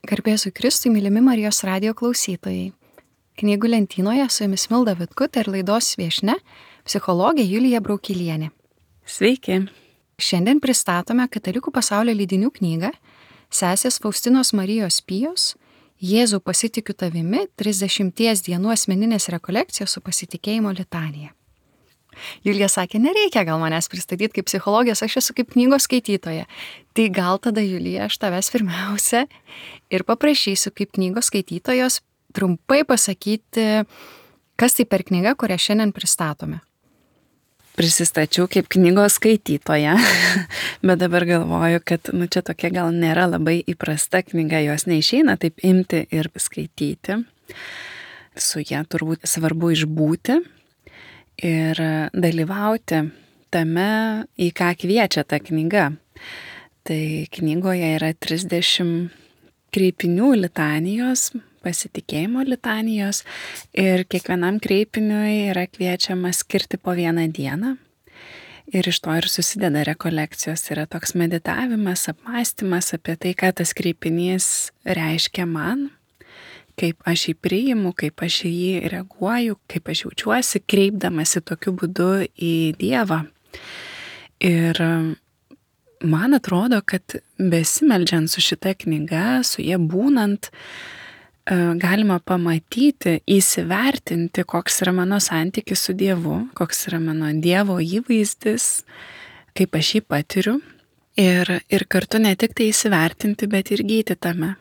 Garbė Jėzui Kristui, mylimi Marijos radijo klausytojai. Knygų lentynoje su jumis Milda Vitkutė ir laidos viešnia, psichologė Julija Braukilienė. Sveiki. Šiandien pristatome Katalikų pasaulio leidinių knygą sesės Faustinos Marijos Pijos Jėzau pasitikiu tavimi 30 dienų asmeninės rekolekcijos su pasitikėjimo litanija. Julija sakė, nereikia gal manęs pristatyti kaip psichologės, aš esu kaip knygos skaitytoja. Tai gal tada, Julija, aš tavęs pirmiausia ir paprašysiu kaip knygos skaitytojos trumpai pasakyti, kas tai per knyga, kurią šiandien pristatome. Prisistačiau kaip knygos skaitytoja, bet dabar galvoju, kad čia tokia gal nėra labai įprasta knyga, jos neišeina taip imti ir skaityti. Su ją turbūt svarbu išbūti ir dalyvauti tame, į ką kviečia ta knyga. Tai knygoje yra 30 kreipinių litanijos, pasitikėjimo litanijos ir kiekvienam kreipiniui yra kviečiama skirti po vieną dieną. Ir iš to ir susideda rekolekcijos. Yra toks meditavimas, apmąstymas apie tai, ką tas kreipinys reiškia man, kaip aš jį priimu, kaip aš į jį reaguoju, kaip aš jaučiuosi, kreipdamasi tokiu būdu į Dievą. Ir man atrodo, kad besimeldžiant su šita knyga, su jie būnant, galima pamatyti, įsivertinti, koks yra mano santykis su Dievu, koks yra mano Dievo įvaizdis, kaip aš jį patiriu. Ir kartu ne tik tai įsivertinti, bet ir gyti tame.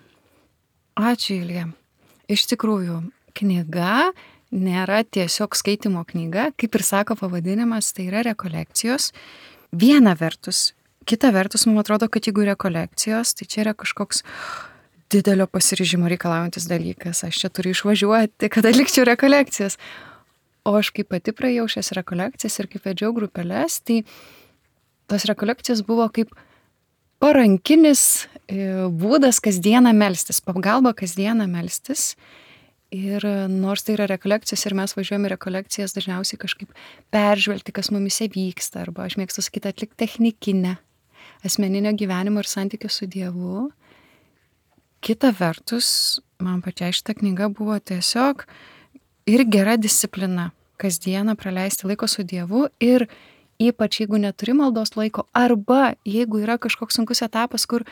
Ačiū, Julija. Iš tikrųjų, knyga nėra tiesiog skaitimo knyga, kaip ir sako pavadinimas, tai yra rekolekcijos. Viena vertus, kita vertus, man atrodo, kad jeigu rekolekcijos, tai čia yra kažkoks didelio pasiryžimo reikalaujantis dalykas. Aš čia turiu išvažiuoti, kad atlikčiau rekolekcijas. O aš kaip pati praėjau šias rekolekcijas ir kaip vedžiau grupeles, tai tos rekolekcijos buvo kaip parankinis būdas kasdieną melstis, pagalba kasdieną melstis. Ir nors tai yra rekolekcijos ir mes važiuojame rekolekcijas dažniausiai kažkaip peržvelgti, kas mumise vyksta, arba aš mėgstu sakyti atlikti technikinę asmeninio gyvenimo ir santykio su Dievu. Kita vertus, man pačiai šita knyga buvo tiesiog ir gera disciplina kasdieną praleisti laiko su Dievu ir ypač jeigu neturi maldos laiko, arba jeigu yra kažkoks sunkus etapas, kur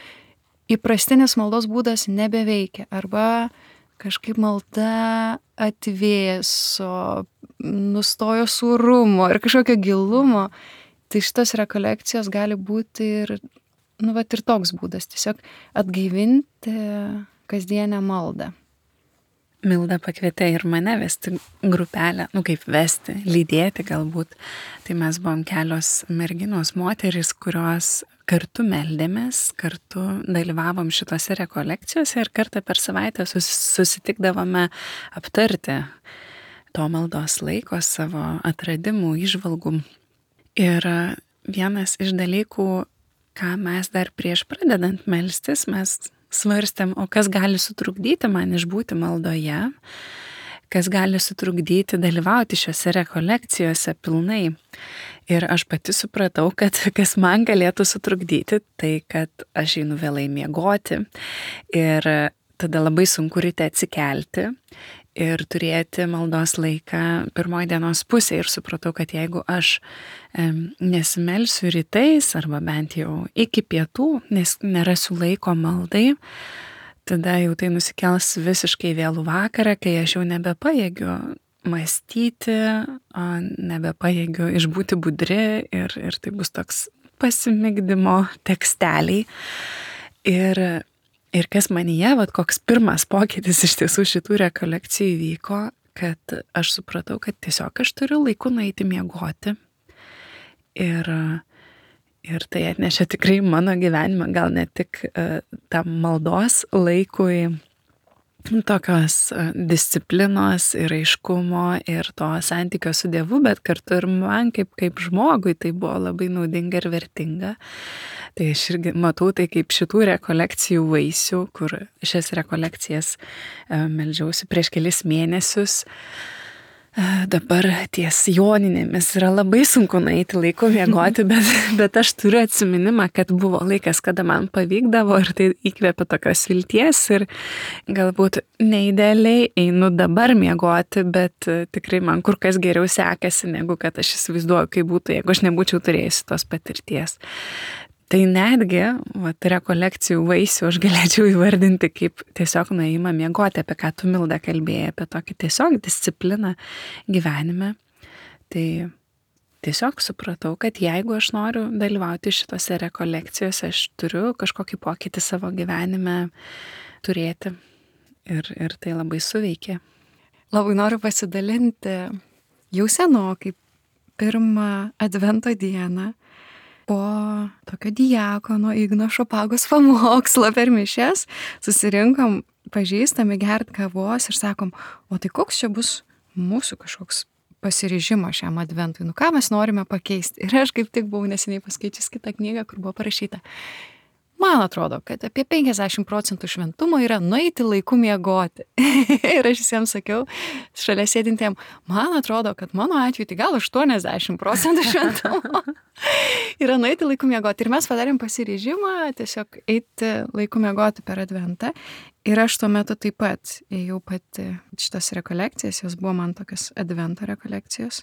įprastinis maldos būdas nebeveikia, arba kažkaip malda atvėso, nustojo sūrumo ir kažkokio gilumo, tai šitos rekolekcijos gali būti ir toks būdas, tiesiog atgaivinti kasdienę maldą. Milda pakvietė ir mane vesti grupelę, kaip vesti, lydėti galbūt. Tai mes buvom kelios merginos moterys, kurios kartu meldėmės, kartu dalyvavom šitose rekolekcijose ir kartą per savaitę susitikdavome aptarti to maldos laiko, savo atradimų, įžvalgų. Ir vienas iš dalykų, ką mes dar prieš pradedant melstis, mes svarstėm, o kas gali sutrukdyti man išbūti maldoje, kas gali sutrukdyti dalyvauti šiose rekolekcijose pilnai. Ir aš pati supratau, kad kas man galėtų sutrukdyti, tai kad aš einu vėlai miegoti ir tada labai sunku ryte atsikelti ir turėti maldos laiką pirmoji dienos pusė. Ir supratau, kad jeigu aš nesimelsiu rytais arba bent jau iki pietų, nes nerasiu laiko maldai, tada jau tai nusikels visiškai vėlų vakarą, kai aš jau nebepajėgiu mąstyti, nebepajėgiu išbūti budri ir tai bus toks pasimigdymo teksteliai. Ir kas manyje, koks pirmas pokytis iš tiesų šitų rekolekcijų vyko, kad aš supratau, kad tiesiog aš turiu laiku nueiti miegoti. Ir tai atnešė tikrai mano gyvenimą, gal ne tik tam maldos laikui, tokios disciplinos ir aiškumo ir to santykio su Dievu, bet kartu ir man kaip žmogui tai buvo labai naudinga ir vertinga. Tai aš irgi matau tai kaip šitų rekolekcijų vaisių, kur šias rekolekcijas meldžiausi prieš kelis mėnesius. Dabar ties Joninėmis yra labai sunku nueiti laiku miegoti, bet aš turiu atsiminimą, kad buvo laikas, kada man pavykdavo ir tai įkvėpė tokios vilties ir galbūt neidealiai einu dabar miegoti, bet tikrai man kur kas geriau sekasi, negu kad aš įsivaizduoju, kaip būtų, jeigu aš nebūčiau turėjusi tos patirties. Tai netgi, rekolekcijų vaisių aš galėčiau įvardinti kaip tiesiog nuėjimą miegoti, apie ką tu, Milda, kalbėjai, apie tokį tiesiog discipliną gyvenime. Tai tiesiog supratau, kad jeigu aš noriu dalyvauti šitose rekolekcijose, aš turiu kažkokį pokytį savo gyvenime turėti. Ir tai labai suveikė. Labai noriu pasidalinti jau senokai, pirmą Advento dieną, po tokio diakono Igno Šopagos pamokslo per mišias susirinkom pažįstami gert kavos ir sakom, o tai koks čia bus mūsų kažkoks pasiryžimo šiam Adventui, ką mes norime pakeisti. Ir aš kaip tik buvau neseniai paskaičius kitą knygą, kur buvo parašyta, man atrodo, kad apie 50% šventumo yra nueiti laiku miegoti. Ir aš visiems sakiau, šalia sėdintiem, man atrodo, kad mano atveju tai gal 80% šventumo yra nueiti laiku miegoti. Ir mes padarėm pasiryžimą tiesiog eiti laiku miegoti per Adventą. Ir aš tuo metu taip pat ėjau pati šitas rekolekcijas, jos buvo man tokios Advento rekolekcijos.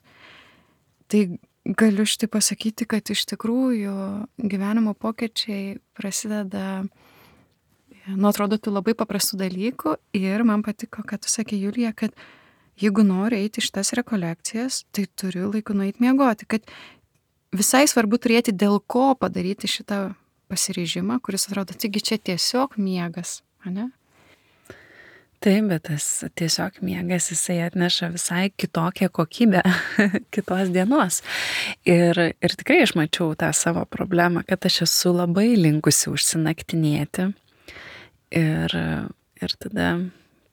Tai galiu šitai pasakyti, kad iš tikrųjų gyvenimo pokyčiai prasideda nuo atrodytų labai paprastų dalykų ir man patiko, kad tu sakė, Julija, kad jeigu nori eiti šitas rekolekcijas, tai turiu laiku nueiti miegoti, kad visai svarbu turėti dėl ko padaryti šitą pasiryžimą, kuris atrodo, taigi čia tiesiog miegas, ane? Taip, bet tas tiesiog miegas, jisai atneša visai kitokią kokybę kitos dienos. Ir tikrai aš mačiau tą savo problemą, kad aš esu labai linkusi užsinaktinėti. Ir tada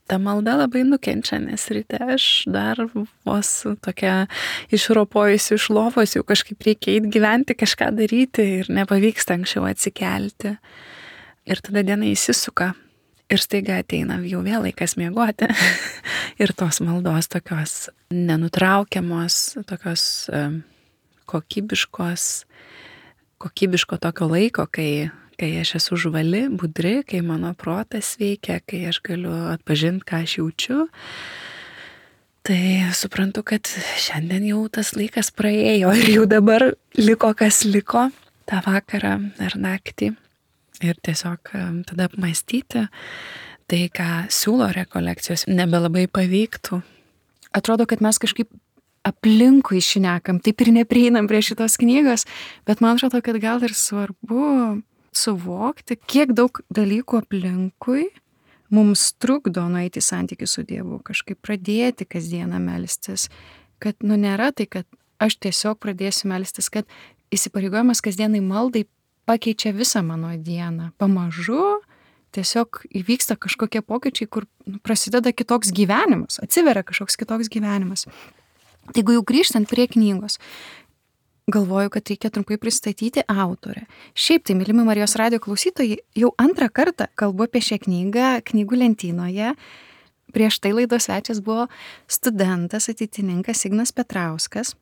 ta malda labai nukenčia, nes ryte aš dar vos tokia išropojusi iš lovos, jau kažkaip reikia eiti gyventi, kažką daryti ir nepavyksta anksčiau atsikelti. Ir tada diena įsisuka. Ir staiga ateina jau vėl laikas miegoti. Ir tos maldos tokios nenutraukiamos, tokios kokybiško tokio laiko, kai aš esu žvali, budri, kai mano protas veikia, kai aš galiu atpažinti, ką aš jaučiu. Tai suprantu, kad šiandien jau tas laikas praėjo ir jau dabar liko, kas liko tą vakarą ar naktį. Ir tiesiog tada apmąstyti tai, ką siūlo rekolekcijos, nebelabai pavyktų. Atrodo, kad mes kažkaip aplinkui šnekam, taip ir neprieinam prie šitos knygos, bet man atrodo, kad gal ir svarbu suvokti, kiek daug dalykų aplinkui mums trukdo nueiti į santykių su Dievu, kažkaip pradėti kasdieną melstis, kad nėra tai, kad aš tiesiog pradėsiu melstis, kad įsipareigojimas kasdienai maldai pakeičia visą mano dieną. Pamažu tiesiog įvyksta kažkokie pokyčiai, kur prasideda kitoks gyvenimas, atsiveria kažkoks kitoks gyvenimas. Tai jeigu jau grįžtant prie knygos, galvoju, kad reikia trumpai pristatyti autorę. Šiaip tai, mylimi Marijos radijo klausytojai, jau antrą kartą kalbu apie šią knygą knygų lentynoje. Prieš tai laidos svečias buvo studentas, ateitininkas Ignas Petrauskas.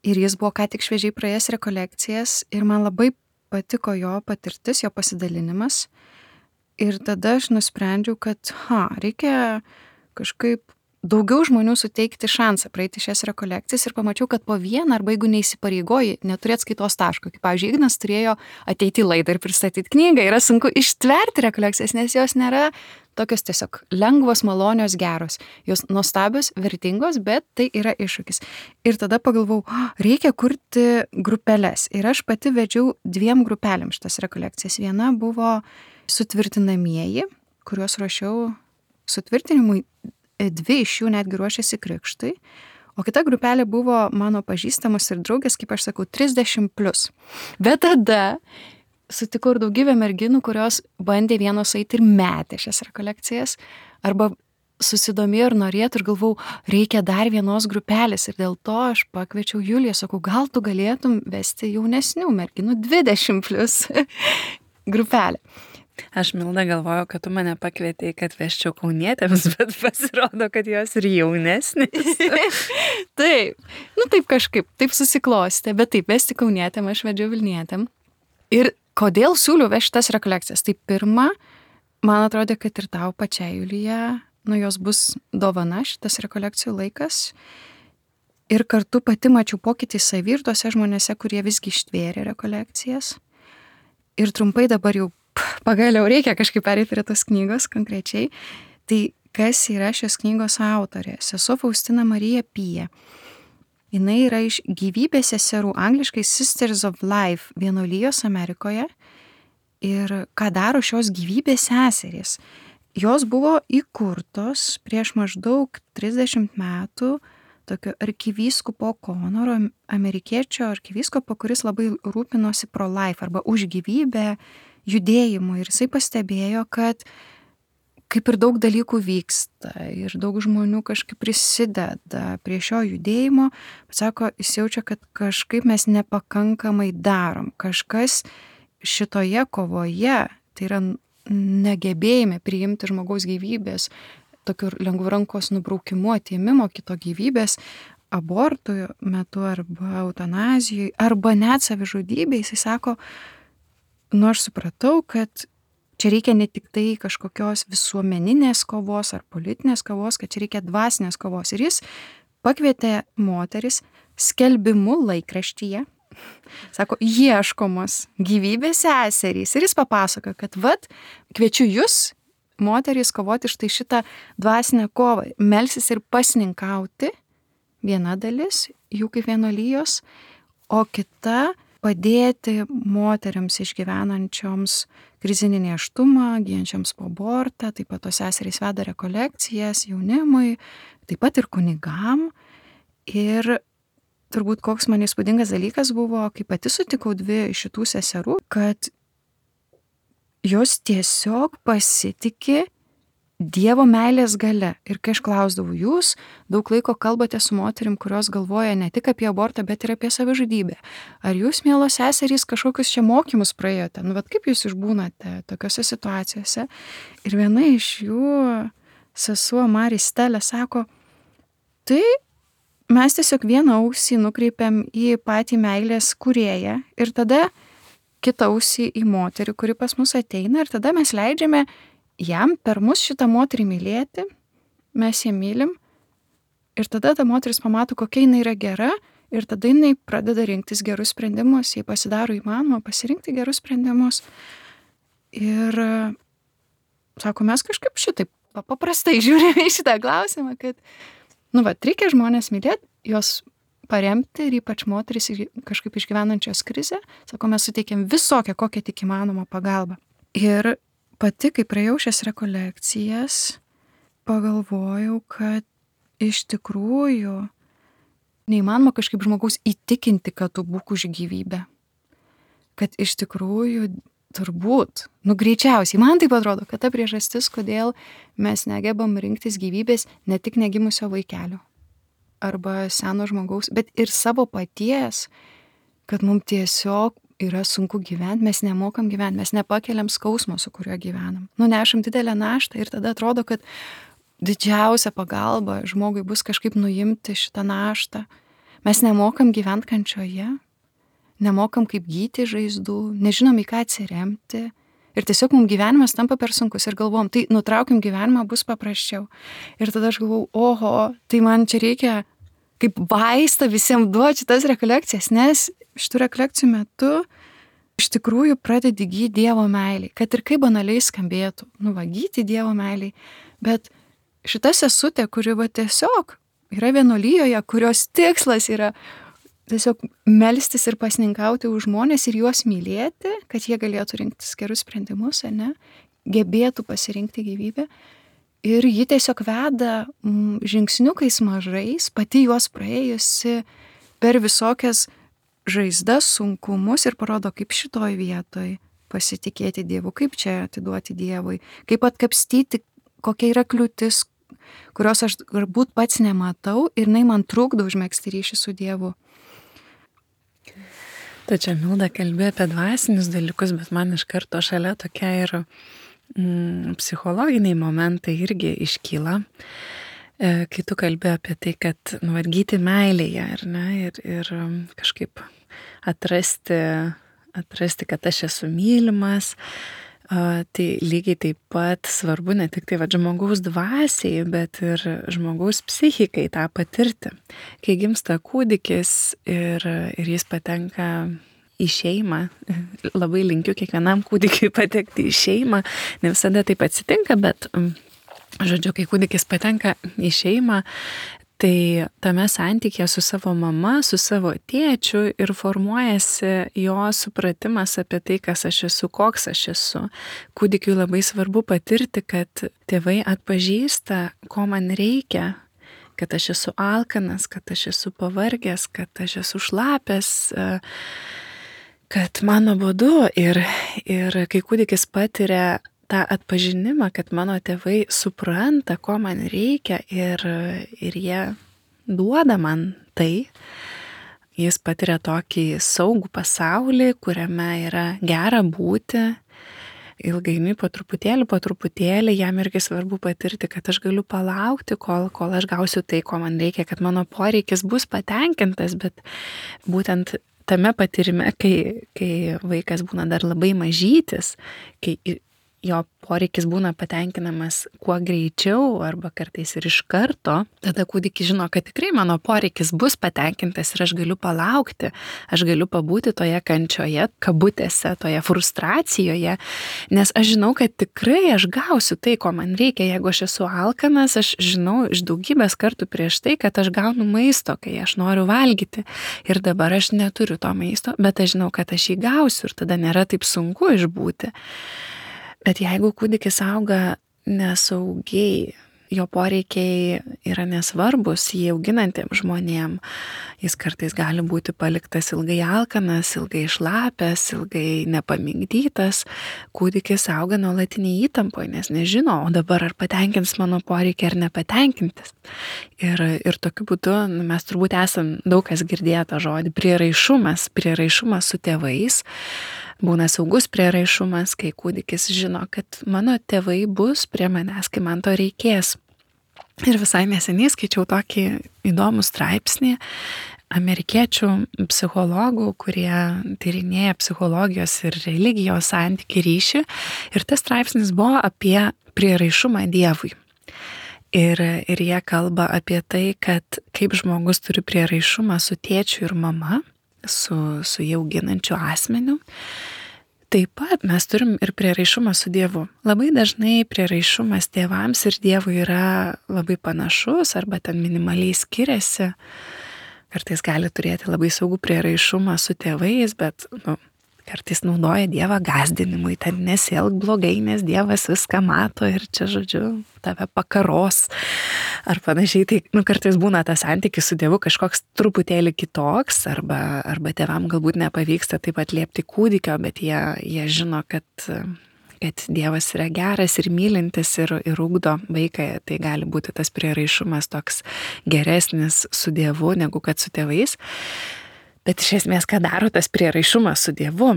Ir jis buvo ką tik šviežiai praėjęs rekolekcijas ir man labai patiko jo patirtis, jo pasidalinimas. Ir tada aš nusprendžiau, kad reikia kažkaip daugiau žmonių suteikti šansą praeiti šias rekolekcijas ir pamačiau, kad po vieną arba jeigu neįsipareigoji, neturėt skaitos taško. Kaip, pavyzdžiui, Ignas turėjo ateiti į laidą ir pristatyti knygą. Yra sunku ištverti rekolekcijas, nes jos nėra tokios tiesiog lengvos, malonios, geros. Jos nuostabios, vertingos, bet tai yra iššūkis. Ir tada pagalvojau, reikia kurti grupeles. Ir aš pati vedžiau 2 grupelėm šitas rekolekcijas. Viena buvo sutvirtinamieji, kuriuos ruošiau sutvirtinimui. 2 iš jų netgi ruošėsi krikštui, o kita grupelė buvo mano pažįstamos ir draugės, kaip aš sakau, 30+. Bet tada sutikau ir daugybę merginų, kurios bandė vienos eiti ir metė šias rekolekcijas, arba susidomėjo ir norėtų ir galvau, reikia dar vienos grupelės. Ir dėl to aš pakviečiau Juliją, sakau, gal tu galėtum vesti jaunesnių merginų 20+ grupelę. Aš, Milda, galvoju, kad tu mane pakvietei, kad veščiau kaunietėms, bet pasirodo, kad jos ir jaunesnės. Taip, taip kažkaip, taip susiklostė, bet taip, vesti kaunietėm, aš vedžiau Vilnietėm. Ir kodėl siūliau vežti tas rekolekcijas? Tai pirma, man atrodė, kad ir tau pačiai, Julija, jos bus dovana šitas rekolekcijų laikas. Ir kartu pati mačiau pokytį savy ir tuose žmonėse, kurie visgi ištvėrė rekolekcijas. Ir trumpai dabar jau pagaliau reikia kažkaip perėti prie tos knygos konkrečiai. Tai kas yra šios knygos autorė? Sesuo Faustina Marija Pija. Jinai yra iš Gyvybės seserų, angliškai Sisters of Life, vienuolijos Amerikoje. Ir ką daro šios Gyvybės seserys? Jos buvo įkurtos prieš maždaug 30 metų tokio arkivyskupo Konoro, amerikiečio arkivyskupo, kuris labai rūpinosi pro-life arba už gyvybę judėjimu. Ir jisai pastebėjo, kad kaip ir daug dalykų vyksta ir daug žmonių kažkaip prisideda prie šio judėjimo, bet sako, jis jaučia, kad kažkaip mes nepakankamai darom. Kažkas šitoje kovoje, tai yra negebėjime priimti žmogaus gyvybės, tokiu lengvu rankos nubraukimu, atėmimo kito gyvybės, abortų metu arba eutanazijai, arba net savižudybei, jisai sako, aš supratau, kad čia reikia ne tik tai kažkokios visuomeninės kovos ar politinės kovos, kad čia reikia dvasinės kovos. Ir jis pakvietė moteris skelbimu laikraštyje, sako, ieškomos gyvybės seserys. Ir jis papasakojo, kad kviečiu jūs, moterys, kovoti štai šitą dvasinę kovą, melsis ir pasninkauti, viena dalis, jų kaip vienuolijos, o kita padėti moteriams išgyvenančioms krizinį nėštumą, gyjančioms po abortą, taip pat tos seserys veda rekolekcijas jaunimui, taip pat ir kunigam. Ir turbūt koks man įspūdingas dalykas buvo, kai pati sutikau dvi iš šitų seserų, kad jos tiesiog pasitikė Dievo meilės gale. Ir kai aš klausdavau, jūs daug laiko kalbate su moterim, kurios galvoja ne tik apie abortą, bet ir apie savižudybę. Ar jūs, mielos seserys, kažkokius čia mokymus praėjote? Kaip jūs išbūnate tokiose situacijose? Ir viena iš jų, sesuo Maristelė, sako, tai mes tiesiog vieną ausį nukreipiam į patį meilės kūrėją ir tada kitą ausį į moterį, kuri pas mus ateina, ir tada mes leidžiame jam per mus šitą moterį mylėti, mes ją mylim, ir tada ta moteris pamato, kokia jinai yra gera, ir tada jinai pradeda rinktis gerus sprendimus, jai pasidaro įmanoma pasirinkti gerus sprendimus. Ir sako, mes kažkaip šitaip paprastai žiūrime į šitą klausimą, kad, reikia žmonės mylėti, jos paremti ir ypač moteris kažkaip išgyvenančios krizę, sako, mes suteikiam visokią, kokią tik įmanoma pagalbą. Ir pati, kai praėjau šias rekolekcijas, pagalvojau, kad iš tikrųjų neįmanoma kažkaip žmogaus įtikinti, kad tu būk už gyvybę. Kad iš tikrųjų turbūt, greičiausiai, man taip atrodo, kad ta priežastis, kodėl mes negebam rinktis gyvybės ne tik negimusio vaikelio arba seno žmogaus, bet ir savo paties, kad mums tiesiog yra sunku gyventi, mes nemokam gyventi, mes nepakeliam skausmo, su kuriuo gyvenam. Nešam didelę naštą ir tada atrodo, kad didžiausia pagalba žmogui bus kažkaip nuimti šitą naštą. Mes nemokam gyventi kančioje, nemokam kaip gydyti žaizdų, nežinom į ką atsiremti. Ir tiesiog mums gyvenimas tampa per sunkus ir galvom, tai nutraukim gyvenimą, bus paprasčiau. Ir tada aš galvau, oho, tai man čia reikia kaip vaistą visiems duoti šitas rekolekcijas, nes šitų rekolekcijų metu iš tikrųjų pradedi gyti Dievo meiliai, kad ir kaip banaliai skambėtų, gyti Dievo meiliai, bet šita sesutė, kuri tiesiog yra vienuolijoje, kurios tikslas yra tiesiog melstis ir pasninkauti už žmonės ir juos mylėti, kad jie galėtų rinktis gerus sprendimus, gebėtų pasirinkti gyvybę. Ir ji tiesiog veda žingsniukais mažais, pati juos praėjusi per visokias žaizdas, sunkumus ir parodo, kaip šitoj vietoj pasitikėti Dievu, kaip čia atiduoti Dievui, kaip atkapstyti, kokia yra kliūtis, kurios aš galbūt pats nematau ir jinai man trukdo užmegzti ryšį su Dievu. Tačiau Milda kalbėjo apie dvasinius dalykus, bet man iš karto šalia tokia ir psichologiniai momentai irgi iškyla. Kai tu kalbėjo apie tai, kad gyti meilėje, ar ne, ir kažkaip atrasti, kad aš esu mylimas, tai lygiai taip pat svarbu ne tik tai žmogaus dvasiai, bet ir žmogaus psichikai tą patirti. Kai gimsta kūdikis ir jis patenka į šeimą, labai linkiu kiekvienam kūdikiui patekti į šeimą, ne visada taip atsitinka, bet žodžiu, kai kūdikis patenka į šeimą, tai tame santykėje su savo mama, su savo tėčiu ir formuojasi jo supratimas apie tai, kas aš esu, koks aš esu. Kūdikiui labai svarbu patirti, kad tėvai atpažįsta, ko man reikia, kad aš esu alkanas, kad aš esu pavargęs, kad aš esu šlapęs, kad man nuobodu. Ir kai kūdikis patiria tą atpažinimą, kad mano tėvai supranta, ko man reikia ir jie duoda man tai, jis patiria tokį saugų pasaulį, kuriame yra gera būti. Ilgainiui po truputėlį jam irgi svarbu patirti, kad aš galiu palaukti, kol aš gausiu tai, ko man reikia, kad mano poreikis bus patenkintas, bet būtent tame patyrime, kai vaikas būna dar labai mažytis, kai jo poreikis būna patenkinamas kuo greičiau arba kartais ir iš karto, tada kūdikis žino, kad tikrai mano poreikis bus patenkintas ir aš galiu palaukti, aš galiu pabūti toje kančioje, kabutėse, toje frustracijoje, nes aš žinau, kad tikrai aš gausiu tai, ko man reikia. Jeigu aš esu alkanas, aš žinau iš daugybės kartų prieš tai, kad aš gaunu maisto, kai aš noriu valgyti. Ir dabar aš neturiu to maisto, bet aš žinau, kad aš jį gausiu ir tada nėra taip sunku išbūti. Bet jeigu kūdikis auga nesaugiai, jo poreikiai yra nesvarbus jį auginantiems žmonėm, jis kartais gali būti paliktas ilgai alkanas, ilgai šlapęs, ilgai nepamigdytas, kūdikis auga nuolatiniai įtampoje, nes nežino, o dabar ar patenkins mano poreikį ar nepatenkintis. Ir tokiu būdu mes turbūt esam daug kas girdėję tą žodį prieraišumas su tėvais. Būna saugus prieraišumas, kai kūdikis žino, kad mano tėvai bus prie manęs, kai man to reikės. Ir visai neseniai skaičiau tokį įdomų straipsnį amerikiečių psichologų, kurie tyrinėja psichologijos ir religijos santykį ryšį. Ir tas straipsnis buvo apie prieraišumą Dievui. Ir jie kalba apie tai, kad kaip žmogus turi prieraišumą su tėčiu ir mama, su jį auginančiu asmeniu. Taip pat mes turim ir prieraišumą su Dievu. Labai dažnai prieraišumas tėvams ir Dievui yra labai panašus arba ten minimaliai skiriasi. Kartais gali turėti labai saugų prieraišumą su tėvais, bet kartais naudoja Dievą gąsdinimui, ten nesielk blogai, nes Dievas viską mato ir čia, žodžiu, tave pakaros ar panašiai. Tai kartais būna tas santykis su Dievu kažkoks truputėlį kitoks arba tėvam galbūt nepavyksta taip atliepti kūdikio, bet jie žino, kad Dievas yra geras ir mylintis ir ugdo vaiką. Tai gali būti tas prieraišumas toks geresnis su Dievu negu kad su tėvais. Bet iš esmės, ką daro tas prieraišumas su Dievu?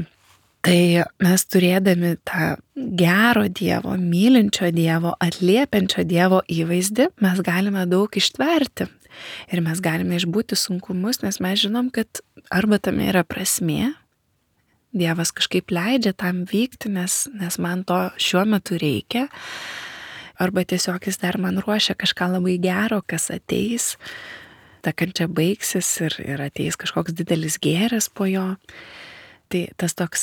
Tai mes turėdami tą gero Dievo, mylinčio Dievo, atliepiančio Dievo įvaizdį, mes galime daug ištverti. Ir mes galime išbūti sunkumus, nes mes žinom, kad arba tame yra prasmė, Dievas kažkaip leidžia tam vykti, nes man to šiuo metu reikia, arba tiesiog jis dar man ruošia kažką labai gero, kas ateis. Ta kančia baigsis ir ateis kažkoks didelis gėris po jo. Tai tas toks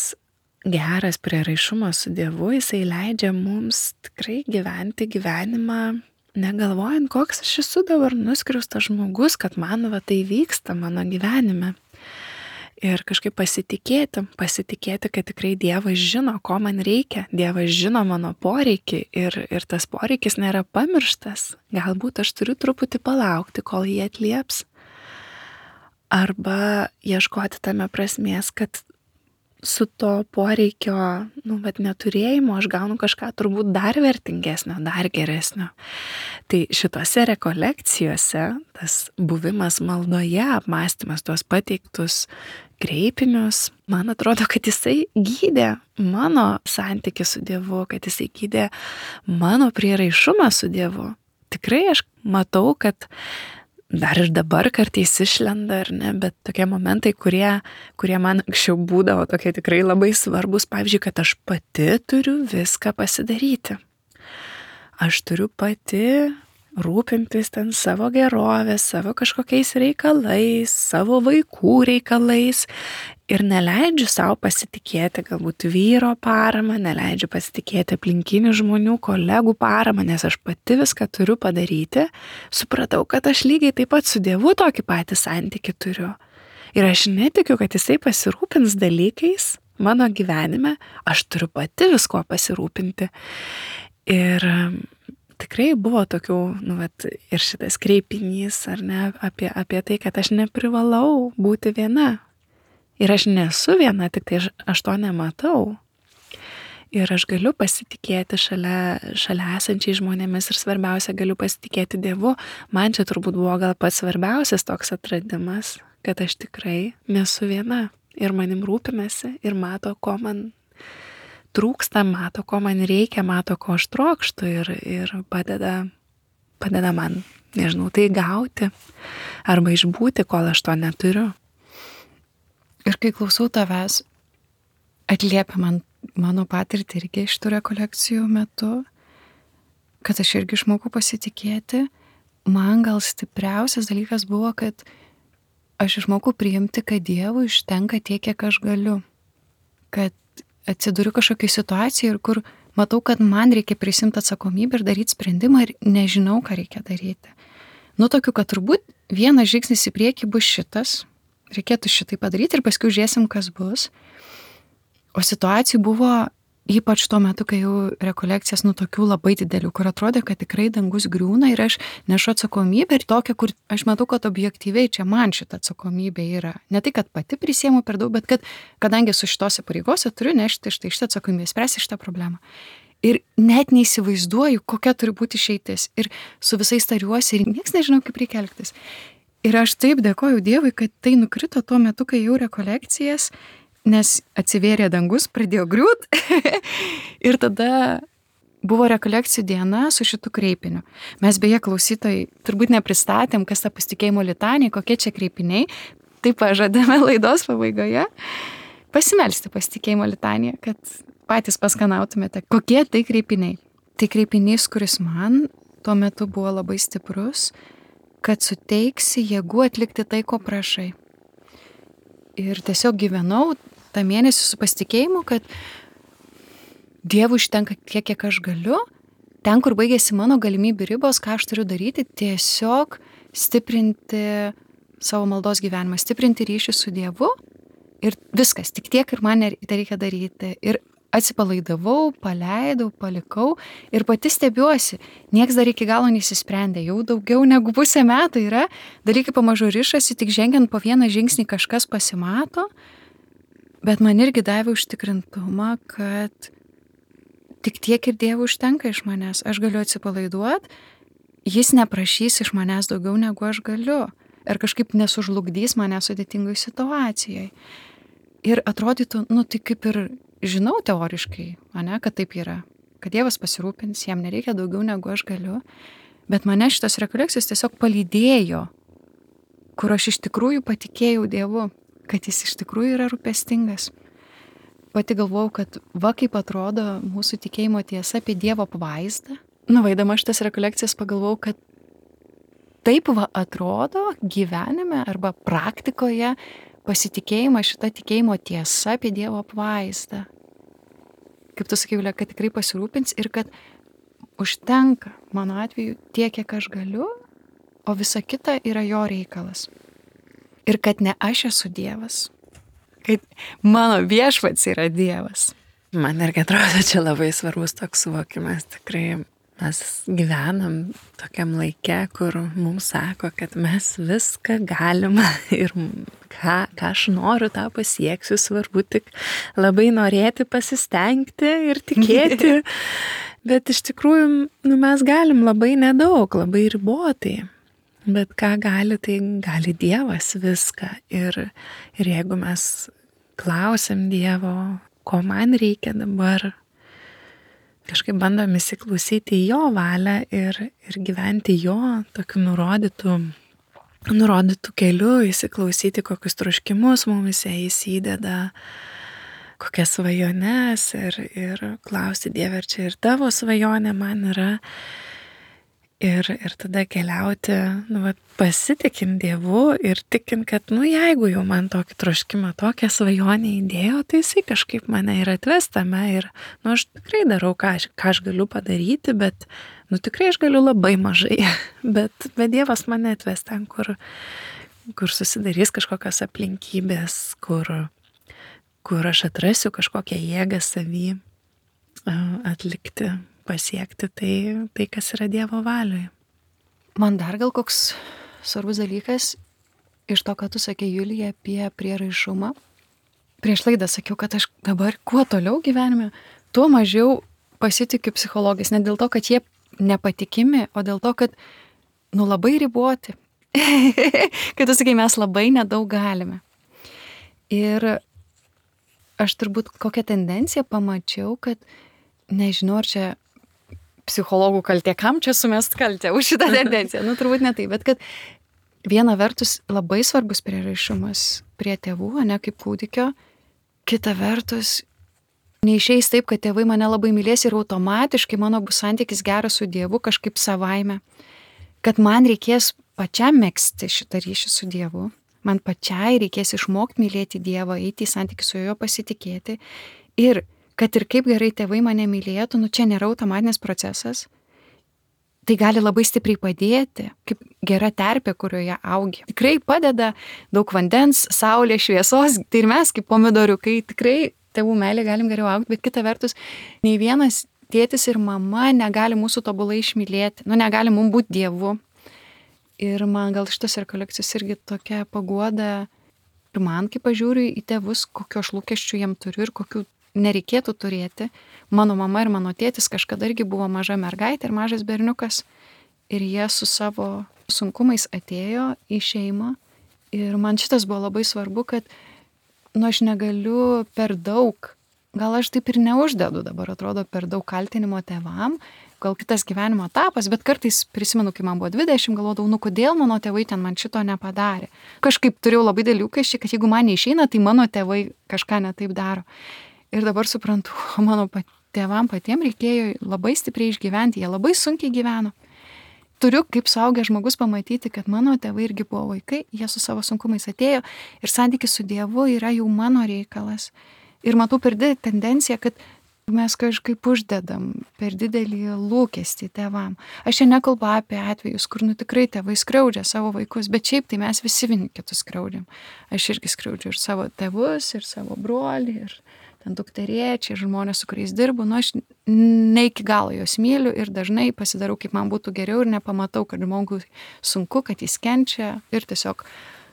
geras prieraišumas su Dievu, jisai leidžia mums tikrai gyventi gyvenimą, negalvojant, koks aš esu dabar nuskriaustas žmogus, kad man tai vyksta mano gyvenime. Ir kažkaip pasitikėti, kad tikrai Dievas žino, ko man reikia, Dievas žino mano poreikį ir tas poreikis nėra pamirštas. Galbūt aš turiu truputį palaukti, kol jį atlieps. Arba ieškoti tame prasmės, kad su to poreikio neturėjimo aš gaunu kažką turbūt dar vertingesnio, dar geresnio. Tai šitose rekolekcijose tas buvimas maldoje, apmąstymas tuos pateiktus kreipinius, man atrodo, kad jisai gydė mano santykį su Dievu, kad jisai gydė mano prieraišumą su Dievu. Tikrai aš matau, kad dar ir dabar kartais išlenda, ar ne, bet tokie momentai, kurie man anksčiau būdavo tokie tikrai labai svarbus, pavyzdžiui, kad aš pati turiu viską pasidaryti. Aš turiu pati rūpintis ten savo gerovės, savo kažkokiais reikalais, savo vaikų reikalais ir neleidžiu savo pasitikėti galbūt vyro paramą, neleidžiu pasitikėti aplinkinių žmonių, kolegų paramą, nes aš pati viską turiu padaryti. Supratau, kad aš lygiai taip pat su Dievu tokį patį santykį turiu. Ir aš netikiu, kad jisai pasirūpins dalykais mano gyvenime, aš turiu pati visko pasirūpinti. Ir tikrai buvo tokių, ir šitas kreipinys, ar ne, apie tai, kad aš neprivalau būti viena. Ir aš nesu viena, tik tai aš to nematau. Ir aš galiu pasitikėti šalia esančiai žmonėmis ir svarbiausia, galiu pasitikėti Dievu. Man čia turbūt buvo gal pats svarbiausias toks atradimas, kad aš tikrai nesu viena. Ir manim rūpinasi ir mato, ko man trūksta, mato, ko man reikia, mato, ko aš trokštu ir padeda man, nežinau, tai gauti arba išbūti, kol aš to neturiu. Ir kai klausau tavęs, atliepia man mano patirtį irgi iš tų rekolekcijų metu, kad aš irgi išmokau pasitikėti. Man gal stipriausias dalykas buvo, kad aš išmokau priimti, kad Dievui užtenka tiek, kiek aš galiu. Kad atsiduriu kažkokiai situacijai ir kur matau, kad man reikia prisimti atsakomybę ir daryti sprendimą ir nežinau, ką reikia daryti. Tokiu, kad turbūt vienas žingsnis į priekį bus šitas, reikėtų šitai padaryti ir paskui žiūrėsim, kas bus. O situacijų buvo ypač tuo metu, kai jau rekolekcijas tokių labai didelių, kur atrodė, kad tikrai dangus griūna ir aš nešu atsakomybę ir tokia, kur aš matau, kad objektyviai čia man šita atsakomybė yra. Ne tai, kad pati prisiemu per daug, bet kad kadangi su šitose pareigose turiu nešti šitą atsakomybę, spręsti šitą problemą. Ir net neįsivaizduoju, kokia turi būti išeitis. Ir su visais tariuosi ir nieks nežinau, kaip reikia elgtis. Ir aš taip dėkoju Dievui, kad tai nukrito tuo metu, kai jau rekolekcijas, nes atsivėrė dangus, pradėjo griūt ir tada buvo rekolekcijų diena su šitu kreipiniu. Mes beje klausytojai turbūt nepristatėm, kas ta pasitikėjimo litanija, kokie čia kreipiniai, tai pažadame laidos pabaigoje pasimelsti pasitikėjimo litaniją, kad patys paskanautumėte, kokie tai kreipiniai. Tai kreipinys, kuris man tuo metu buvo labai stiprus, kad suteiksi jėgų atlikti tai, ko prašai. Ir tiesiog gyvenau tą mėnesį su pasitikėjimu, kad Dievui užtenka tiek, kiek aš galiu, ten, kur baigėsi mano galimybių ribos, ką aš turiu daryti, tiesiog stiprinti savo maldos gyvenimą, stiprinti ryšį su Dievu ir viskas, tik tiek ir man tai reikia daryti. Ir atsipalaidavau, paleidau, palikau ir pati stebiuosi, nieks dar iki galo neįsisprendė, jau daugiau negu pusę metų yra, dalykai pamažu rišasi, tik žengiant po vieną žingsnį kažkas pasimato, bet man irgi davė užtikrintumą, kad tik tiek ir Dievui užtenka iš manęs, aš galiu atsipalaiduoti, jis neprašys iš manęs daugiau negu aš galiu ir kažkaip nesužlugdys mane sudėtingoj situacijai. Ir atrodytų, tai kaip ir žinau teoriškai, kad taip yra, kad Dievas pasirūpins, jam nereikia daugiau negu aš galiu, bet mane šitos rekolekcijos tiesiog palydėjo, kur aš iš tikrųjų patikėjau Dievu, kad jis iš tikrųjų yra rūpestingas. Pati galvojau, kad kaip atrodo mūsų tikėjimo tiesa apie Dievo apvaizdą. Nuvaidama šitas rekolekcijas pagalvojau, kad taip atrodo gyvenime arba praktikoje pasitikėjimas šita tikėjimo tiesa apie Dievo apvaizdą. Kaip tu sakai, Julija, kad tikrai pasirūpins ir kad užtenka mano atveju tiek, kiek aš galiu, o visa kita yra jo reikalas. Ir kad ne aš esu Dievas, kad mano viešpats yra Dievas. Man irgi atrodo, čia labai svarbus toks suvokimas. Tikrai mes gyvenam tokiam laike, kur mums sako, kad mes viską galime ir ką aš noriu, tą pasieksiu, svarbu tik labai norėti, pasistengti ir tikėti. Bet iš tikrųjų mes galim labai nedaug, labai ribotai. Bet ką gali, tai gali Dievas viską. Ir jeigu mes klausim Dievo, ko man reikia dabar, kažkaip bandom įsiklausyti į jo valią ir gyventi jo tokiu nurodytų keliu, įsiklausyti, kokius troškimus mumise jis įdeda, kokias svajones ir klausti Dieve, ar čia ir tavo svajonė man yra. Ir tada keliauti, pasitikint Dievu ir tikint, kad, jeigu jau man tokį troškimą, tokią svajonę įdėjo, tai jisai kažkaip mane ir atves tame. Ir, aš tikrai darau, ką aš galiu padaryti, bet, tikrai aš galiu labai mažai. Bet Dievas mane atves ten, kur susidarys kažkokios aplinkybės, kur aš atrasiu kažkokią jėgą savy atlikti, pasiekti tai, kas yra Dievo valioje. Man dar gal koks svarbus dalykas iš to, ką tu sakei, Julija, apie prieraišumą. Prieš laidą sakiau, kad aš dabar kuo toliau gyvenime, tuo mažiau pasitikiu psichologais. Ne dėl to, kad jie nepatikimi, o dėl to, kad labai riboti. Kad tu sakai, mes labai nedaug galime. Ir aš turbūt kokią tendenciją pamačiau, kad nežinau, ar čia psichologų kaltė, kam čia sumest kaltę už šitą tendenciją. Turbūt ne taip, bet kad viena vertus labai svarbus prieraišumas prie tėvų, ne kaip kūdikio, kita vertus neišeis taip, kad tėvai mane labai mylės ir automatiškai mano bus santykis geras su Dievu kažkaip savaime, kad man reikės pačiam megzti šitą ryšį su Dievu, man pačiai reikės išmokti mylėti Dievą, eiti į santykį su juo, pasitikėti ir kad ir kaip gerai tėvai mane mylėtų, čia nėra automatinis procesas, tai gali labai stipriai padėti, kaip gera terpė, kurioje augi. Tikrai padeda daug vandens, saulės, šviesos, tai ir mes kaip pomidoriukai tikrai tėvų meilė galim geriau augti, bet kita vertus, nei vienas tėtis ir mama negali mūsų tobulai išmylėti, negali mums būti Dievu. Ir man gal šitas rekolekcijos irgi tokia paguoda, ir man, kai pažiūriu į tėvus, kokio aš lūkesčių jiem turiu ir kokių nereikėtų turėti. Mano mama ir mano tėtis kažkada irgi buvo maža mergaitė ir mažas berniukas ir jie su savo sunkumais atėjo į šeimą ir man šitas buvo labai svarbu, kad aš negaliu per daug, gal aš taip ir neuždedu dabar, atrodo, per daug kaltinimo tėvam, gal kitas gyvenimo etapas, bet kartais prisimenu, kai man buvo 20, galvodavau, kodėl mano tėvai ten man šito nepadarė. Kažkaip turėjau labai dėlių lūkesčių, kad jeigu man neišeina, tai mano tėvai kažką ne taip daro. Ir dabar suprantu, mano tėvam patiem reikėjo labai stipriai išgyventi, jie labai sunkiai gyveno. Turiu kaip suaugęs žmogus pamatyti, kad mano tėvai irgi buvo vaikai, jie su savo sunkumais atėjo ir santykis su Dievu yra jau mano reikalas. Ir matau per didelį tendenciją, kad mes kažkaip uždedam per didelį lūkestį tėvam. Aš čia nekalbu apie atvejus, kur tikrai tėvai skriaudžia savo vaikus, bet šiaip tai mes visi vieni kitus skriaudžiam. Aš irgi skriaudžiu ir savo tėvus, ir savo brolį, ir dukterėčiai, žmonės, su kuriais dirbu, aš ne iki galo juos myliu ir dažnai pasidarau, kaip man būtų geriau ir nepamatau, kad žmogui sunku, kad jis kenčia ir tiesiog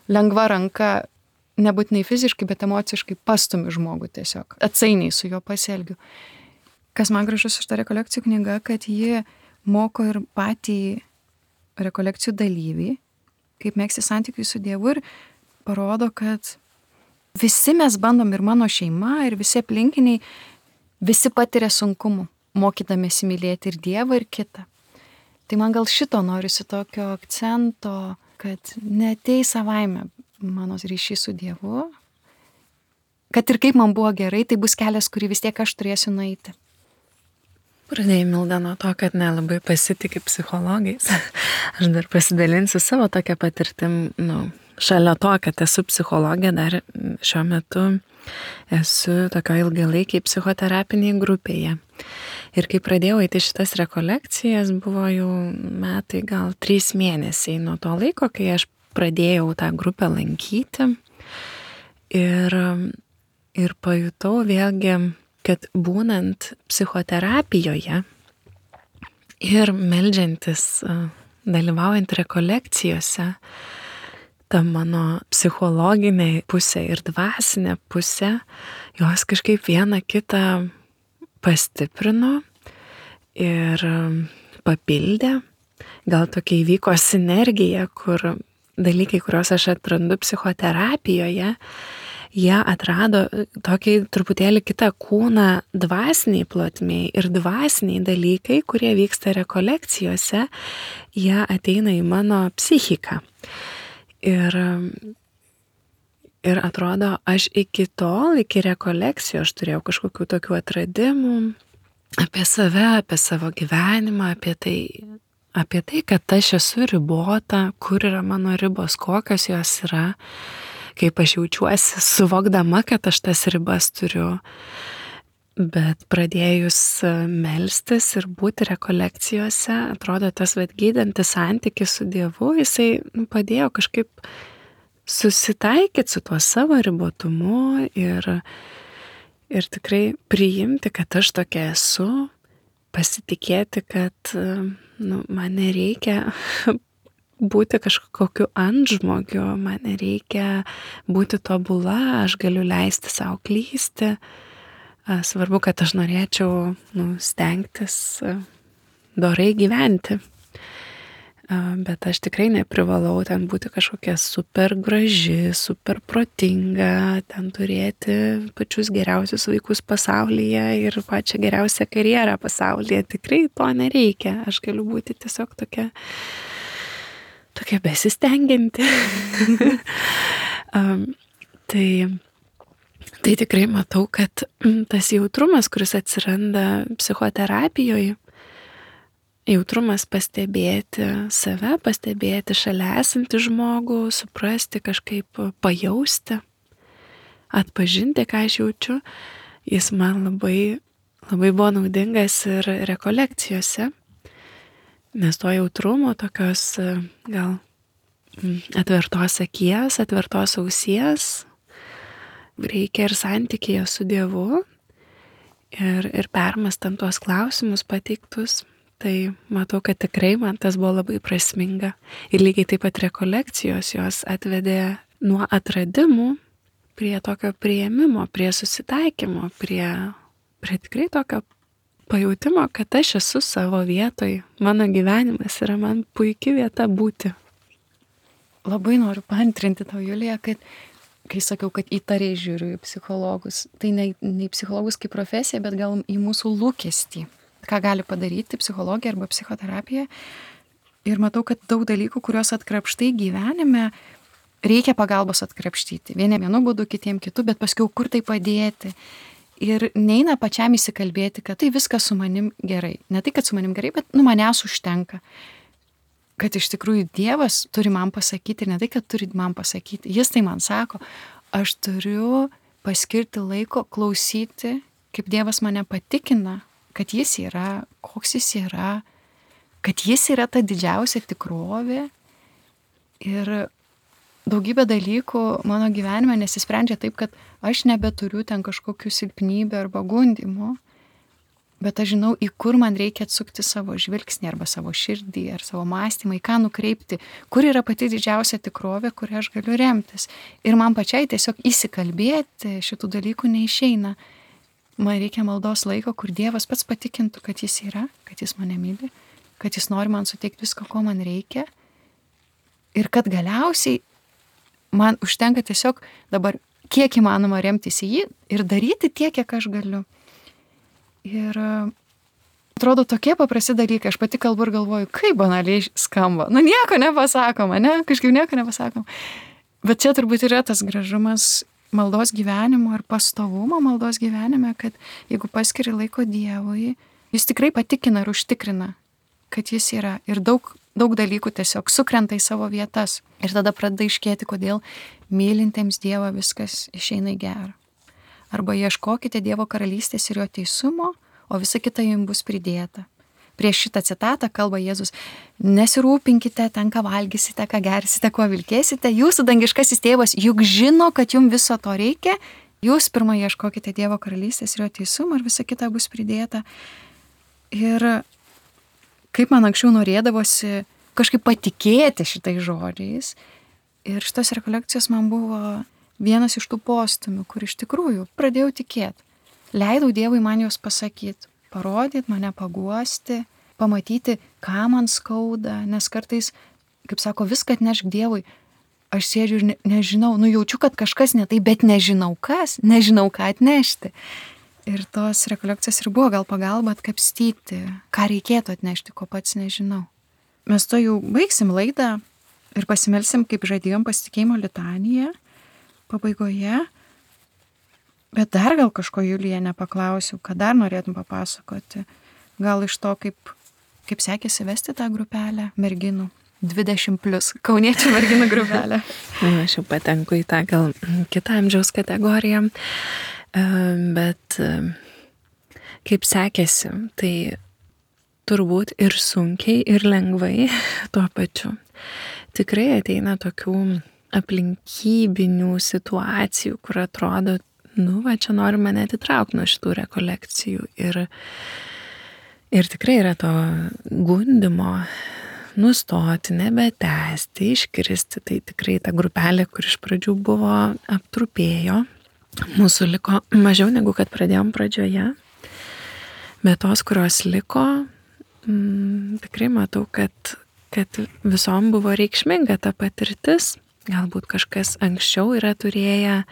lengva ranka, nebūtinai fiziškai, bet emociškai pastumiu žmogų tiesiog, atsainiai su juo pasielgiu. Kas man gražus iš ta rekolekcijų knyga, kad ji moko ir patį rekolekcijų dalyvį, kaip megzti santykių su Dievu ir parodo, kad visi mes bandom ir mano šeima, ir visi aplinkiniai, visi patiria sunkumų, mokydamėsi mylėti ir Dievą, ir kitą. Tai man gal šito norisi tokio akcento, kad neateis savaime mano ryšys su Dievu, kad ir kaip man buvo gerai, tai bus kelias, kurį vis tiek aš turėsiu nueiti. Pradėjai, Milda, nuo to, kad nelabai pasitiki psichologais. Aš dar pasidalinsiu savo tokią patirtim, šalia to, kad esu psichologė, dar šiuo metu esu tokio ilgalaikiai psichoterapiniai grupėje. Ir kai pradėjau eiti šitas rekolekcijas, buvo jau metai, gal 3 mėnesiai nuo to laiko, kai aš pradėjau tą grupę lankyti. Ir pajutau vėlgi, kad būnant psichoterapijoje ir meldžiantis, dalyvaujant rekolekcijose, ta mano psichologinė pusė ir dvasinė pusė, jos kažkaip viena kitą pastiprino ir papildė. gal tokia įvyko sinergija, kur dalykai, kuriuos aš atrandu psichoterapijoje, jie atrado tokį truputėlį kitą kūną dvasiniai plotmiai ir dvasiniai dalykai, kurie vyksta rekolekcijose, jie ateina į mano psichiką. Ir atrodo, aš iki rekolekcijų aš turėjau kažkokių tokių atradimų apie save, apie savo gyvenimą, apie tai, kad aš esu ribota, kur yra mano ribos, kokios jos yra, kaip aš jaučiuosi, suvokdama, kad aš tas ribas turiu. Bet pradėjus melstis ir būti rekolekcijose, atrodo, tas gydantis santykis su Dievu, jisai padėjo kažkaip susitaikyti su tuo savo ribotumu ir tikrai priimti, kad aš tokia esu, pasitikėti, kad man nereikia būti kažkokiu antžmogiu, man nereikia būti tobula, aš galiu leisti savo klysti. Svarbu, kad aš norėčiau stengtis dorai gyventi. Bet aš tikrai neprivalau ten būti kažkokia super graži, super protinga, ten turėti pačius geriausius vaikus pasaulyje ir pačią geriausią karjerą pasaulyje. Tikrai to nereikia. Aš galiu būti tiesiog tokia besistengianti. Tai tikrai matau, kad tas jautrumas, kuris atsiranda psichoterapijoje, jautrumas pastebėti save, pastebėti šalia esantį žmogų, suprasti, kažkaip pajausti, atpažinti, ką aš jaučiu, jis man labai, labai buvo naudingas ir rekolekcijose, nes to jautrumo, tokios gal atvertos akies, atvertos ausies, reikia ir santykėje su Dievu ir permąstant tuos klausimus pateiktus. Tai matau, kad tikrai man tas buvo labai prasminga. Ir lygiai taip pat rekolekcijos jos atvedė nuo atradimų prie tokio priėmimo, prie susitaikymo, prie tikrai tokio pajautimo, kad aš esu savo vietoj. Mano gyvenimas yra man puikia vieta būti. Labai noriu paantrinti tau, Julija, kad kai sakiau, kad įtariai žiūriu į psichologus, tai ne į psichologus kaip profesiją, bet gal į mūsų lūkestį. Ką gali padaryti psichologija arba psichoterapija. Ir matau, kad daug dalykų, kuriuos atkrapštai gyvenime, reikia pagalbos atkrapštyti. Vienu būdu, kitiem kitų, bet paskui kur tai padėti. Ir neina pačiam įsikalbėti, kad tai viskas su manim gerai. Ne tai, kad su manim gerai, bet manęs užtenka. Kad iš tikrųjų Dievas turi man pasakyti, ir ne tai, kad turi man pasakyti. Jis tai man sako, aš turiu paskirti laiko klausyti, kaip Dievas mane patikina, kad jis yra, koks jis yra, kad jis yra ta didžiausia tikrovė. Ir daugybė dalykų mano gyvenime nesisprendžia taip, kad aš nebeturiu ten kažkokių silpnybių arba gundimų, bet aš žinau, į kur man reikia atsukti savo žvilgsnį arba savo širdį ar savo mąstymą, į ką nukreipti, kur yra pati didžiausia tikrovė, kurią aš galiu remtis. Ir man pačiai tiesiog įsikalbėti šitų dalykų neišeina. Man reikia maldos laiko, kur Dievas pats patikintų, kad jis yra, kad jis mane myli, kad jis nori man suteikti visko, ko man reikia. Ir kad galiausiai man užtenka tiesiog dabar kiek įmanoma remtis į jį ir daryti tiek, kiek aš galiu. Ir atrodo tokie paprasti dalykai, aš pati kalbu ir galvoju, kaip banaliai skamba. Nieko nepasakoma, kažkaip nieko nepasakoma. Bet čia turbūt yra tas gražumas maldos gyvenimo ir pastovumo maldos gyvenime, kad jeigu paskiri laiko Dievui, jis tikrai patikina ir užtikrina, kad jis yra. Ir daug dalykų tiesiog sukrenta į savo vietas. Ir tada pradeda iškėti, kodėl mylintiems Dievą viskas išeina į gerą. Arba ieškokite Dievo karalystės ir jo teisumo, o visa kita jums bus pridėta. Prieš šitą citatą kalba Jėzus, nesirūpinkite ten, ką valgysite, ką gersite, kuo vilkėsite, jūsų dangiškasis tėvas juk žino, kad jums viso to reikia, jūs pirmą ieškokite Dievo karalystės ir jo teisumo ir visa kita bus pridėta. Ir kaip man anksčiau norėdavosi kažkaip patikėti šitais žodžiais, ir šitos rekolekcijos man buvo vienas iš tų postumių, kur iš tikrųjų pradėjau tikėti. Leidau Dievui man juos pasakyti. Parodyti, mane paguosti, pamatyti, ką man skauda, nes kartais, kaip sako, viską atnešk Dievui. Aš sėdžiu ir nežinau, jaučiu, kad kažkas ne tai, bet nežinau kas, nežinau ką atnešti. Ir tos rekolekcijos ir buvo gal pagalba atkapstyti, ką reikėtų atnešti, ko pats nežinau. Mes to jau baigsim laidą ir pasimelsim, kaip žadėjom, pasitikėjimo litaniją pabaigoje. Bet dar gal kažko, Julija, nepaklausiau, ką dar norėtum papasakoti. Gal iš to, kaip sekėsi vesti tą grupelę merginų. 20+, kauniečių merginų grupelę. Aš jau patenku į tą gal kitą amžiaus kategoriją, bet kaip sekėsi, tai turbūt ir sunkiai, ir lengvai tuo pačiu. Tikrai ateina tokių aplinkybinių situacijų, kur atrodo, čia nori mane atitraukti nuo šitų rekolekcijų. Ir tikrai yra to gundimo nustoti, nebetęsti, iškristi. Tai tikrai ta grupelė, kur iš pradžių buvo, aptrupėjo. Mūsų liko mažiau negu kad pradėjom pradžioje. Bet tos, kurios liko, tikrai matau, kad visom buvo reikšminga ta patirtis. Galbūt kažkas anksčiau yra turėję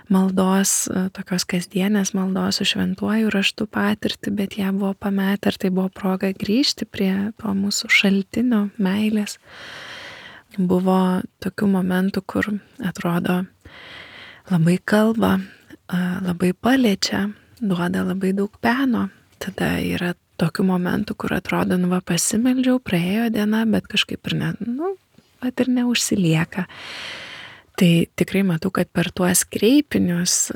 maldos, tokios kasdienės maldos su šventuoju raštu patirtį, bet ją buvo pametę, ir tai buvo proga grįžti prie to mūsų šaltinio meilės. Buvo tokių momentų, kur atrodo labai kalba, labai paliečia, duoda labai daug peno. Tada yra tokių momentų, kur atrodo, pasimeldžiau, praėjo diena, bet kažkaip ir neužsilieka. Tai tikrai matau, kad per tuos kreipinius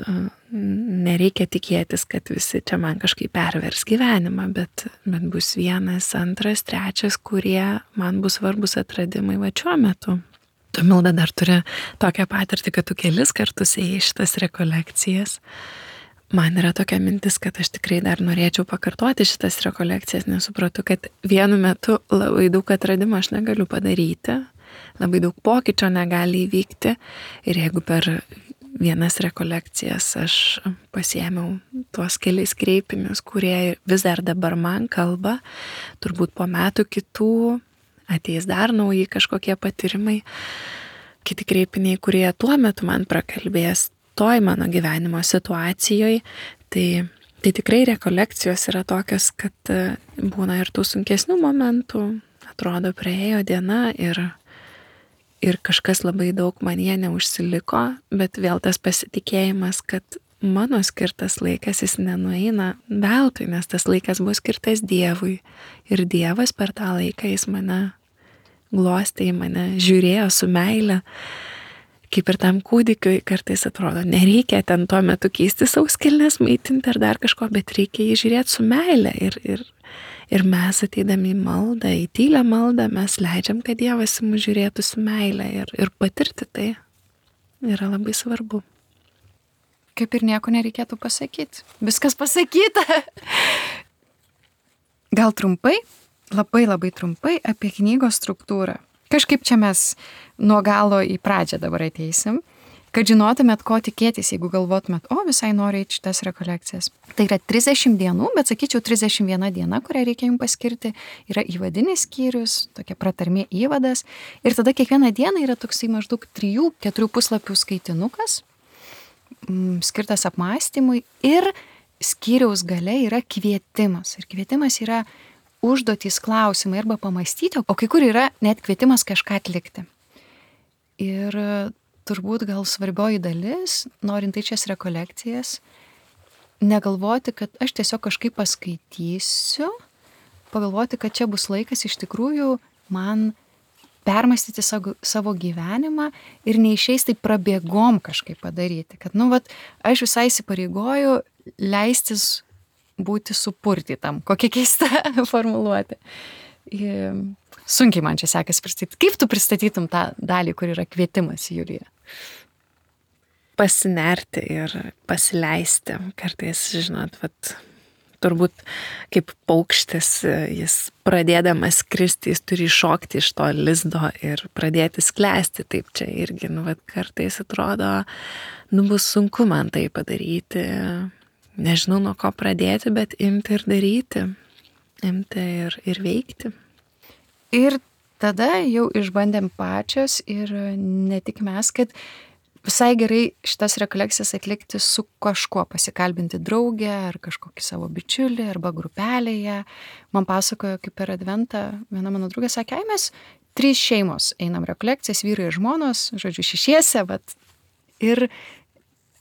nereikia tikėtis, kad visi čia man kažkaip pervers gyvenimą, bet bus 1, 2, 3, kurie man bus svarbus atradimai šiuo metu. Tu, Milda, dar turi tokią patirtį, kad tu kelis kartus ėjai šitas rekolekcijas. Man yra tokia mintis, kad aš tikrai dar norėčiau pakartoti šitas rekolekcijas, nes supratau, kad vienu metu labai daug atradimų aš negaliu padaryti. Labai daug pokyčio negali įvykti, ir jeigu per vienas rekolekcijas aš pasiėmiau tuos kelis kreipinius, kurie vis dar dabar man kalba, turbūt po metų kitų ateis dar nauji kažkokie patyrimai, kiti kreipiniai, kurie tuo metu man prakalbės toj mano gyvenimo situacijoje, tai tikrai rekolekcijos yra tokios, kad būna ir tų sunkesnių momentų, atrodo praėjo diena ir kažkas labai daug man jie neužsiliko, bet vėl tas pasitikėjimas, kad mano skirtas laikas jis nenueina veltui, nes tas laikas buvo skirtas Dievui. Ir Dievas per tą laiką jis mane glostė, į mane žiūrėjo su meile. Kaip ir tam kūdikiui kartais atrodo, nereikia ten tuo metu keisti sauskelnes, maitinti ar dar kažko, bet reikia jį žiūrėti su meile. Ir mes ateidami į maldą, į tylią maldą, mes leidžiam, kad Dievas į mus žiūrėtų su meile ir patirti tai yra labai svarbu. Kaip ir nieko nereikėtų pasakyti. Viskas pasakyta. Gal trumpai, labai trumpai apie knygos struktūrą. Kažkaip čia mes nuo galo į pradžią dabar ateisim, kad žinotumėt, ko tikėtis, jeigu galvotumėt, visai noriu eiti šitas rekolekcijas. Tai yra 30 dienų, bet sakyčiau 31 diena, kurią reikia jums paskirti, yra įvadinis skyrius, tokia pratarmė įvadas, ir tada kiekvieną dieną yra toksai maždaug 3-4 puslapių skaitinukas, skirtas apmąstymui, ir skyriaus gale yra kvietimas. Ir kvietimas yra užduotys, klausimai arba pamastyti, o kai kur yra net kvietimas kažką atlikti. Ir turbūt gal svarbioji dalis, norint į šias rekolekcijas, negalvoti, kad aš tiesiog kažkaip paskaitysiu, pagalvoti, kad čia bus laikas iš tikrųjų man permastyti savo gyvenimą ir neišeis taip prabėgom kažkaip padaryti. Kad, aš visai įsipareigoju leistis būti supurtytam. Kokia keista formuluotė. Sunkiai man čia sekasi pristatyti. Kaip tu pristatytum tą dalį, kur yra kvietimas, Julija? Pasinerti ir pasileisti. Kartais, žinot, turbūt kaip paukštis, jis pradėdamas skristi, jis turi iššokti iš to lizdo ir pradėti sklęsti. Taip čia irgi, kartais atrodo, bus sunku man tai padaryti. Nežinau, nuo ko pradėti, bet imti ir daryti. imti ir veikti. Ir tada jau išbandėm pačios ir ne tik mes, kad visai gerai šitas rekolekcijas atlikti su kažkuo, pasikalbinti draugę ar kažkokį savo bičiulį arba grupelėje. Man pasakojo, kaip per adventą viena mano draugė sakė, mes 3 šeimos einam rekolekcijas, vyrai ir žmonos, žodžiu, 6, vat. Ir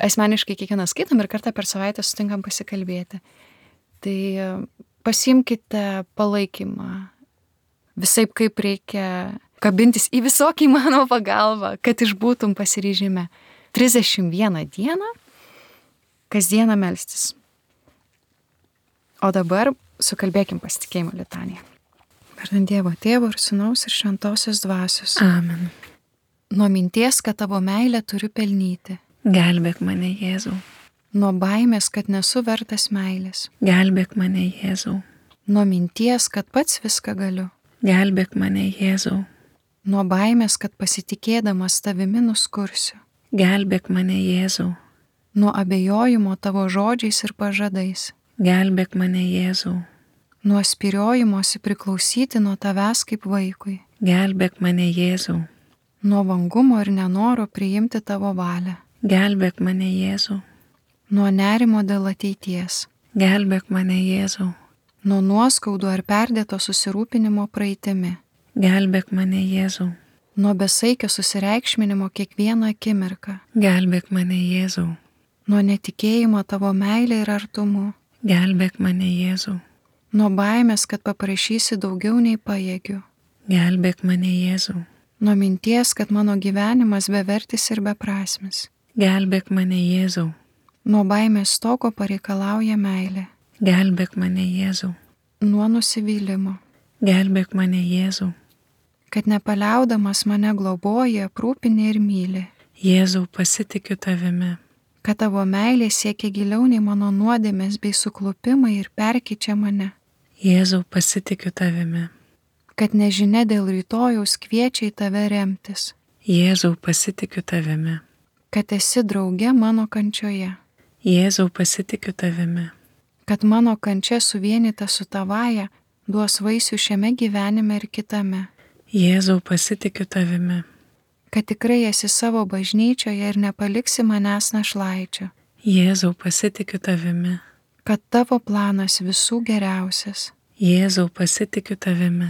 asmeniškai kiekvieną skaitam ir kartą per savaitę sutinkam pasikalbėti. Tai pasiimkite palaikymą, visaip kaip reikia kabintis į visokį įmanomą pagalbą, kad išbūtum pasiryžime. 31 dieną, kasdieną melstis. O dabar sukalbėkim pasitikėjimo litaniją. Vardant Dievo Tėvo ir Sūnaus ir Šventosios Dvasios. Amen. Nuo minties, kad tavo meilę turiu pelnyti. Gelbėk mane, Jėzau. Nuo baimės, kad nesu vertas meilės. Gelbėk mane, Jėzau. Nuo minties, kad pats viską galiu. Gelbėk mane, Jėzau. Nuo baimės, kad pasitikėdamas tavimi nuskursiu. Gelbėk mane, Jėzau. Nuo abejojimo tavo žodžiais ir pažadais. Gelbėk mane, Jėzau. Nuo spyriojimosi priklausyti nuo tavęs kaip vaikui. Gelbėk mane, Jėzau. Nuo vangumo ir nenoro priimti tavo valią. Gelbėk mane, Jėzau. Nuo nerimo dėl ateities. Gelbėk mane, Jėzau. Nuo nuoskaudų ar perdėto susirūpinimo praeitimi. Gelbėk mane, Jėzau. Nuo besaikio susireikšminimo kiekvieną akimirką. Gelbėk mane, Jėzau. Nuo netikėjimo tavo meilė ir artumu. Gelbėk mane, Jėzau. Nuo baimės, kad paprašysi daugiau nei pajėgiu. Gelbėk mane, Jėzau. Nuo minties, kad mano gyvenimas bevertis ir beprasmis. Gelbėk mane, Jėzau. Nuo baimės toko pareikalauja meilė. Gelbėk mane, Jėzau. Nuo nusivylimo. Gelbėk mane, Jėzau. Kad nepaliaudamas mane globoja, aprūpini ir myli. Jėzau, pasitikiu tavimi. Kad tavo meilė siekia giliau nei mano nuodėmės bei suklupimai ir perkeičia mane. Jėzau, pasitikiu tavimi. Kad nežinia dėl rytojaus kviečia į tave remtis. Jėzau, pasitikiu tavimi. Kad esi drauge mano kančioje. Jėzau, pasitikiu tavimi. Kad mano kančia suvienita su tavaja duos vaisių šiame gyvenime ir kitame. Jėzau, pasitikiu tavimi. Kad tikrai esi savo bažnyčioje ir nepaliksi manęs našlaičio. Jėzau, pasitikiu tavimi. Kad tavo planas visų geriausias. Jėzau, pasitikiu tavimi.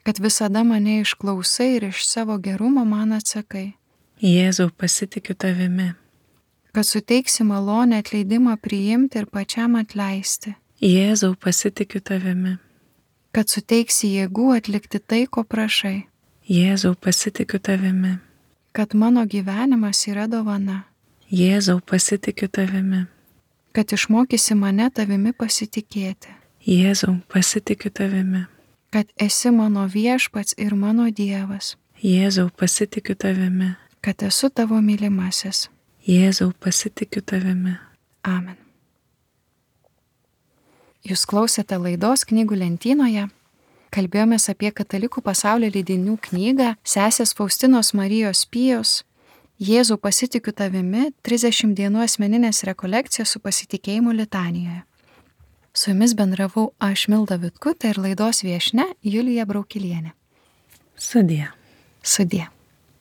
Kad visada mane išklausai ir iš savo gerumo man atsakai. Jėzau, pasitikiu tavimi. Kad suteiksi malonę atleidimą priimti ir pačiam atleisti. Jėzau, pasitikiu tavimi. Kad suteiksi jėgų atlikti tai, ko prašai. Jėzau, pasitikiu tavimi. Kad mano gyvenimas yra dovana. Jėzau, pasitikiu tavimi. Kad išmokysi mane tavimi pasitikėti. Jėzau, pasitikiu tavimi. Kad esi mano viešpats ir mano Dievas. Jėzau, pasitikiu tavimi. Kad esu tavo mylimasis. Jėzau, pasitikiu tavimi. Amen. Jūs klausėte laidos Knygų lentynoje. Kalbėjomės apie katalikų pasaulio leidinių knygą sesės Faustinos Marijos Pijos Jėzau, pasitikiu tavimi 30 dienų asmeninės rekolekcijos su pasitikėjimu litanijoje. Su jumis bendravau aš, Milda Vitkutė, ir laidos viešnia Julija Braukilienė. Sudie. Sudie.